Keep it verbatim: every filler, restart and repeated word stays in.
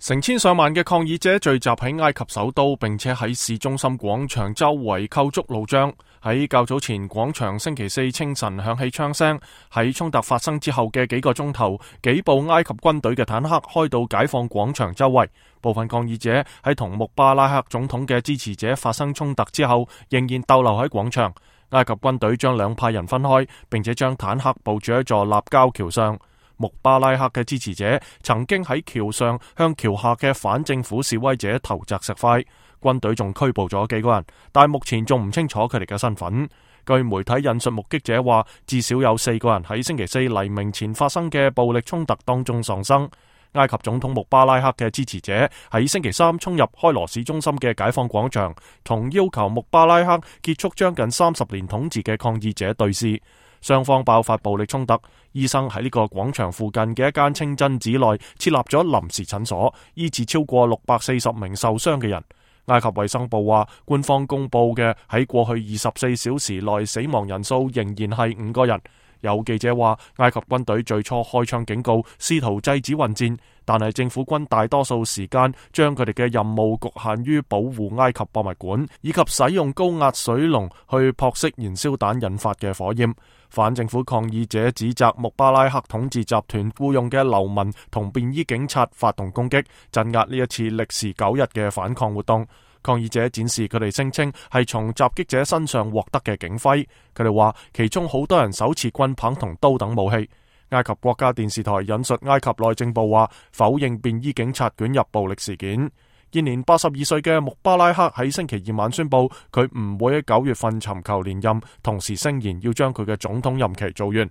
成千上萬嘅抗議者聚集喺埃及首都，並且喺市中心廣場周圍構築路障。喺較早前，廣場星期四清晨響起槍聲。喺衝突發生之後嘅幾個鐘頭，幾部埃及軍隊嘅坦克開到解放廣場周圍。部分抗議者喺同穆巴拉克總統嘅支持者發生衝突之後，仍然逗留喺廣場。埃及軍隊將兩派人分開，並且將坦克部署喺座立交橋上。穆巴拉克嘅支持者曾經喺橋上向橋下嘅反政府示威者投擲石塊，軍隊仲拘捕咗幾個人，但目前仲唔清楚佢哋嘅身份。據媒體引述目擊者話，至少有四個人喺星期四黎明前發生嘅暴力衝突當中喪生。埃及總統穆巴拉克嘅支持者喺星期三衝入開羅市中心嘅解放廣場，同要求穆巴拉克結束將近三十年統治嘅抗議者對峙。雙方爆發暴力衝突，醫生喺呢個廣場附近嘅一間清真寺內設立咗臨時診所，醫治超過六百四十名受傷嘅人。埃及衛生部話，官方公布嘅喺過去二十四小時內死亡人數仍然係五個人。有記者話，埃及軍隊最初開槍警告，試圖制止混戰，但係政府軍大多數時間將佢哋嘅任務局限於保護埃及博物館，以及使用高壓水龍去撲熄燃燒彈引發嘅火焰。反政府抗議者指責穆巴拉克統治集團僱用嘅流民同便衣警察發動攻擊，鎮壓呢一次歷時九日嘅反抗活動。抗議者展示佢哋聲稱係從襲擊者身上獲得嘅警徽，佢哋話其中好多人手持棍棒同刀等武器。埃及國家電視台引述埃及內政部話，否認便衣警察捲入暴力事件。現年八十二歲嘅穆巴拉克喺星期二晚宣布，佢唔會喺九月份尋求連任，同時聲言要將佢嘅總統任期做完。